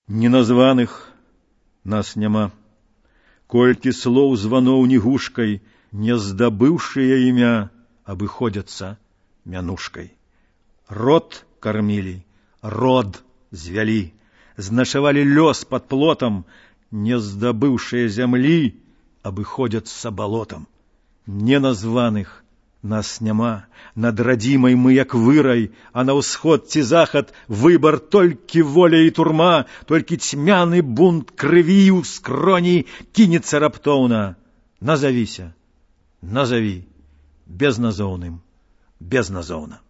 Неназваных нас няма, колькі слоў званоў нігушкай, не здабыўшыя імя, абыходзяцца мянушкай. Род кармілі, род звялі, значавалі лёс пад плотам, не здабыўшыя зямлі, абыходзяцца балотам. Неназваных нас няма, над радзімай мы як вырай, а на ўсход ці захад выбар толькі воля і турма, толькі цьмяны бунт крыві ў скроні кінецца раптоўна. Назавіся, назаві, безназоўным, безназоўна.